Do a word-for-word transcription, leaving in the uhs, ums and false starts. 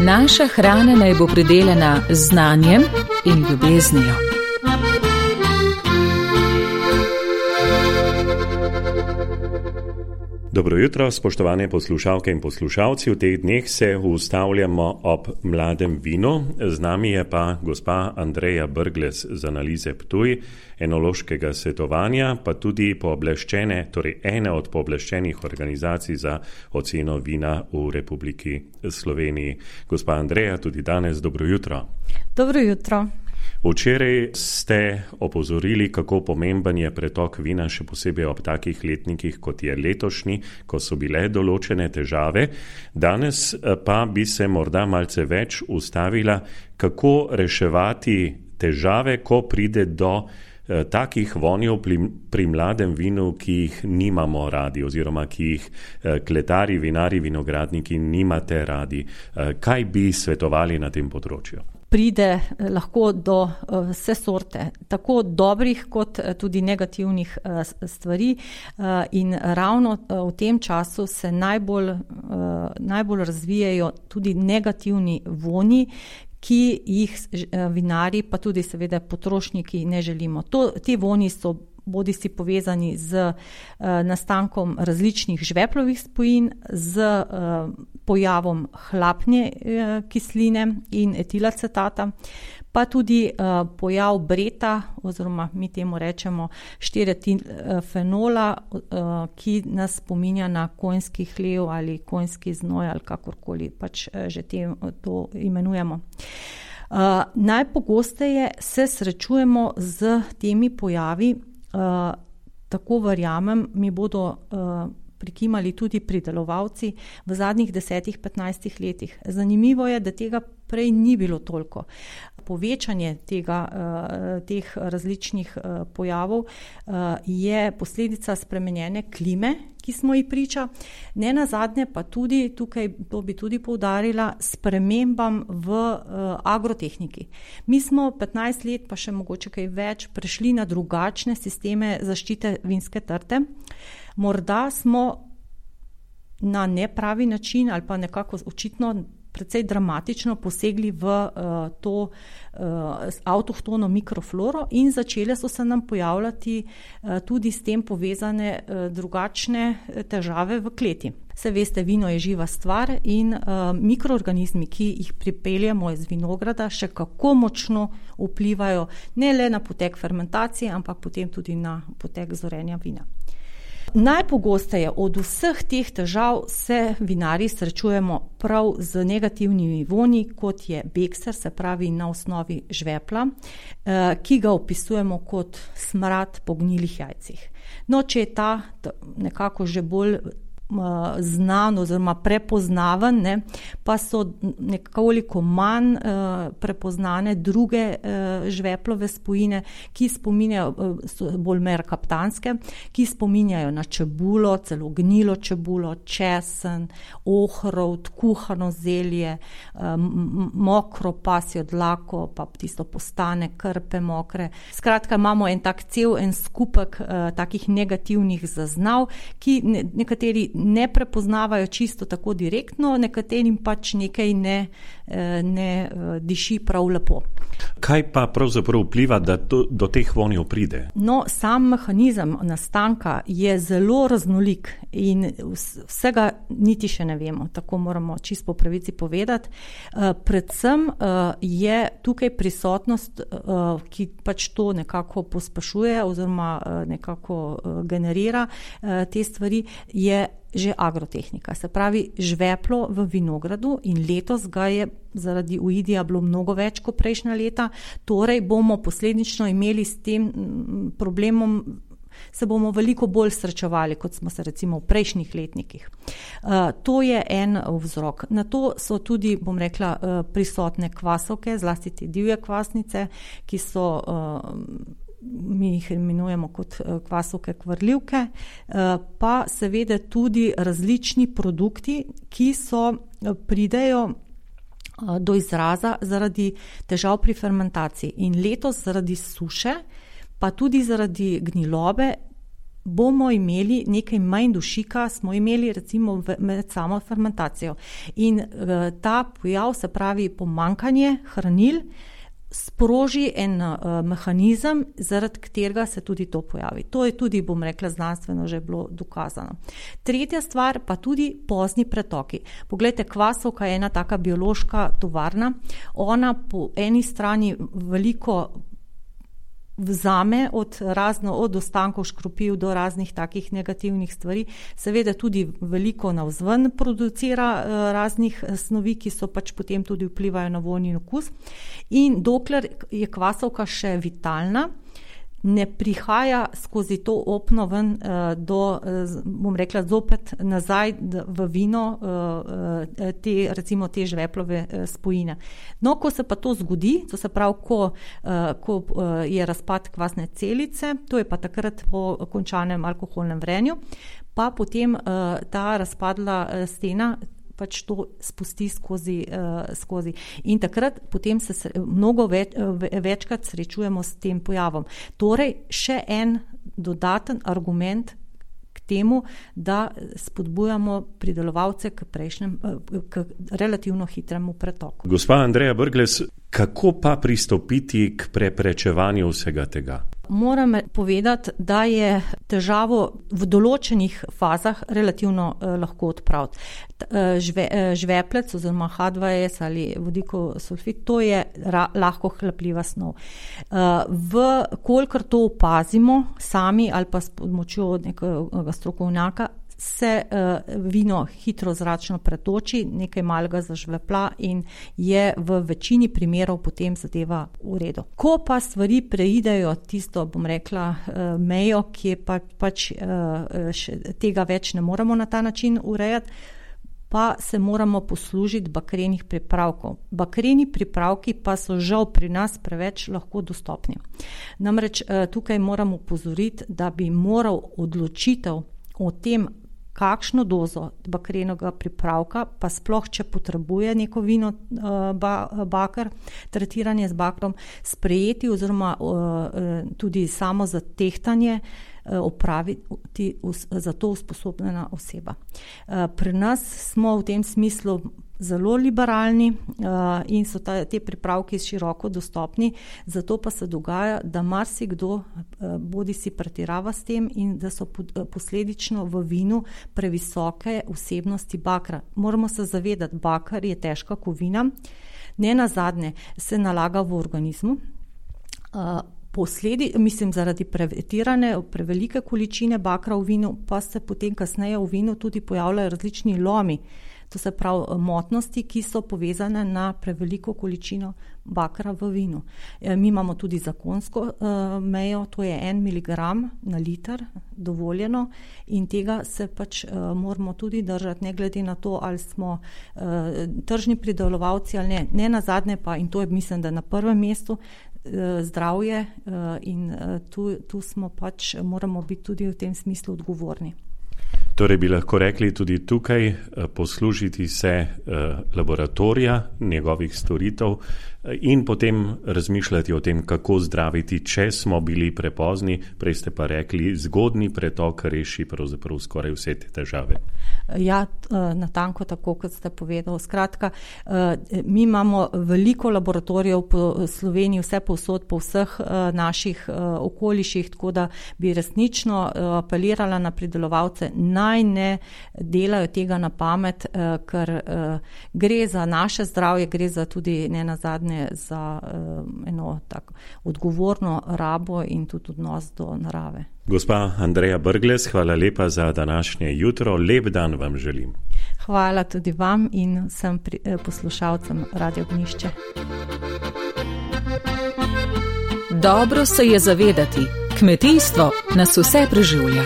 Naša hrana naj bo pridelana z znanjem in ljubeznijo. Dobro jutro, spoštovane poslušalke in poslušalci. V teh dneh se ustavljamo ob mladem vinu. Z nami je pa gospa Andreja Brglez z Analize Ptuj, enološkega svetovanja, pa tudi pooblaščene, torej ene od pooblaščenih organizacij za oceno vina v Republiki Sloveniji. Gospa Andreja, tudi danes dobro jutro. Dobro jutro. Včeraj ste opozorili, kako pomemben je pretok vina, še posebej ob takih letnikih, kot je letošnji, ko so bile določene težave. Danes pa bi se morda malce več ustavila, kako reševati težave, ko pride do eh, takih vonjev pri, pri mladem vinu, ki jih nimamo radi oziroma ki jih eh, kletari, vinari, vinogradniki nimate radi. Eh, kaj bi svetovali na tem področju? Pride lahko do vse sorte, tako dobrih kot tudi negativnih stvari in ravno v tem času se najbolj, najbolj razvijajo tudi negativni vonji, ki jih vinari pa tudi seveda potrošniki ne želimo. To, ti vonji so bodi si povezani z uh, nastankom različnih žveplovih spojin, z uh, pojavom hlapne uh, kisline in etilacetata, pa tudi uh, pojav breta, oziroma mi temu rečemo štiriretilfenola, uh, ki nas spominja na konjski hlev ali konjski znoj ali kakorkoli pač uh, že tem, to imenujemo. Uh, najpogosteje se srečujemo z temi pojavi. Uh, tako verjamem, mi bodo uh, prikimali tudi pridelovalci v zadnjih desetih, petnajstih letih. Zanimivo je, da tega prej ni bilo toliko. Povečanje tega, uh, teh različnih uh, pojavov uh, je posledica spremenjene klime, ki smo ji priča. Ne nazadnje pa tudi, tukaj to bi tudi poudarila, spremembam v uh, agrotehniki. Mi smo petnajst let, pa še mogoče kaj več, prešli na drugačne sisteme zaščite vinske trte. Morda smo na nepravi način ali pa nekako očitno precej dramatično posegli v uh, to uh, avtohtono mikrofloro in začele so se nam pojavljati uh, tudi s tem povezane uh, drugačne težave v kleti. Se veste, vino je živa stvar in uh, mikroorganizmi, ki jih pripeljemo iz vinograda, še kako močno vplivajo ne le na potek fermentacije, ampak potem tudi na potek zorenja vina. Najpogosteje od vseh teh težav se vinari srečujemo prav z negativnimi vonji, kot je bekser, se pravi na osnovi žvepla, ki ga opisujemo kot smrad po gnilih jajcih. No, če je ta nekako že bolj znan oziroma prepoznaven, ne, pa so nekoliko manj uh, prepoznane druge uh, žveplove spojine, ki spominjajo, uh, so bolj merkaptanske, ki spominjajo na čebulo, celo gnilo čebulo, česen, ohrovt, kuhano zelje, um, mokro pasjo dlako, pa tisto postane, krpe mokre. Skratka, imamo en tak cel, en skupek uh, takih negativnih zaznav, ki ne, nekateri ne prepoznavajo čisto tako direktno, nekaterim pač nekaj ne, ne diši prav lepo. Kaj pa pravzaprav vpliva, da to, do teh vonjev pride? No, sam mehanizem nastanka je zelo raznolik in vsega niti še ne vemo, tako moramo čisto po pravici povedati. Predvsem je tukaj prisotnost, ki pač to nekako pospešuje oziroma nekako generira te stvari, je že agrotehnika, se pravi žveplo v vinogradu in letos ga je zaradi uidija bilo mnogo več kot prejšnja leta, torej bomo posledično imeli s tem problemom, se bomo veliko bolj srečevali, kot smo se recimo v prejšnjih letnikih. Uh, to je en vzrok. Na to so tudi, bom rekla, uh, prisotne kvasovke, zlasti te divje kvasnice, ki so uh, mi jih imenujemo kot kvasovke kvarljivke, pa seveda tudi različni produkti, ki so pridejo do izraza zaradi težav pri fermentaciji. In letos zaradi suše, pa tudi zaradi gnilobe, bomo imeli nekaj manj dušika, smo imeli recimo med samo fermentacijo. In uh, ta pojav, se pravi pomankanje hranil, sproži en uh, mehanizem, zaradi katerega se tudi to pojavi. To je tudi, bom rekla, znanstveno že bilo dokazano. Tretja stvar pa tudi pozni pretoki. Poglejte, kvasovka je ena taka biološka tovarna. Ona po eni strani veliko vzame od razno, od ostankov škropiv do raznih takih negativnih stvari. Seveda tudi veliko navzven producira uh, raznih snovi, ki so pač potem tudi vplivajo na vonj in okus. In dokler je kvasovka še vitalna, ne prihaja skozi to opno ven uh, do, uh, bom rekla, zopet nazaj v vino uh, te, recimo te žveplove uh, spojine. No, ko se pa to zgodi, to se pravi, ko, uh, ko uh, je razpad kvasne celice, to je pa takrat po končanem alkoholnem vrenju, pa potem uh, ta razpadla uh, stena pač to spusti skozi, uh, skozi. In takrat potem se mnogo več, večkrat srečujemo s tem pojavom. Torej, še en dodaten argument k temu, da spodbujamo pridelovalce k prejšnjem, k relativno hitremu pretoku. Gospa Andreja Brglez, kako pa pristopiti k preprečevanju vsega tega? Moram povedati, da je težavo v določenih fazah relativno eh, lahko odpraviti. Žve, žveplec oziroma H dva S ali vodikov sulfid, to je ra, lahko hlapljiva snov. Eh, v kolikor to opazimo sami ali pa s pomočjo nekega strokovnjaka, se uh, vino hitro zračno pretoči, nekaj malega zažvepla in je v večini primerov potem zadeva v redu. Ko pa stvari preidejo tisto, bom rekla, uh, mejo, ki je pa, pač uh, še, tega več ne moremo na ta način urejati, pa se moramo poslužiti bakrenih pripravkov. Bakreni pripravki pa so žal pri nas preveč lahko dostopni. Namreč uh, tukaj moramo opozoriti, da bi moral odločitev o tem, kakšno dozo bakrenega pripravka, pa sploh, če potrebuje neko vino ba, bakar, tretiranje z bakrom, sprejeti oziroma tudi samo za tehtanje opraviti za to usposobljena oseba. Pri nas smo v tem smislu zelo liberalni uh, in so ta, te pripravki široko dostopni, zato pa se dogaja, da marsikdo uh, bodi si pretirava s tem in da so pod, uh, posledično v vinu previsoke vsebnosti bakra. Moramo se zavedati, bakar je težka kovina, ne nazadnje se nalaga v organizmu. Uh, Posledi, mislim, zaradi prevetirane, prevelike količine bakra v vinu, pa se potem kasneje v vinu tudi pojavljajo različni lomi, to se pravi motnosti, ki so povezane na preveliko količino bakra v vinu. Mi imamo tudi zakonsko uh, mejo, to je en miligram na liter dovoljeno in tega se pač uh, moramo tudi držati, ne glede na to, ali smo uh, tržni pridelovalci ali ne. Ne nazadnje pa, in to je mislim, da na prvem mestu, zdravje in tu, tu smo pač, moramo biti tudi v tem smislu odgovorni. Torej bi lahko rekli tudi tukaj poslužiti se laboratorija, njegovih storitev in potem razmišljati o tem, kako zdraviti, če smo bili prepozni, prej ste pa rekli, zgodni pretok reši pravzaprav skoraj vse te težave. Ja, natanko tako, kot ste povedali. Skratka, mi imamo veliko laboratorijev po Sloveniji, vse povsod, po vseh naših okoliših, tako da bi resnično apelirala na pridelovalce, naj ne delajo tega na pamet, ker gre za naše zdravje, gre za tudi ne nazadnje za eno tako odgovorno rabo in tudi odnos do narave. Gospa Andreja Brglez, hvala lepa za današnje jutro. Lep dan vam želim. Hvala tudi vam in vsem poslušalcem Radio Ognjišče. Dobro se je zavedati, kmetijstvo nas vse preživlja.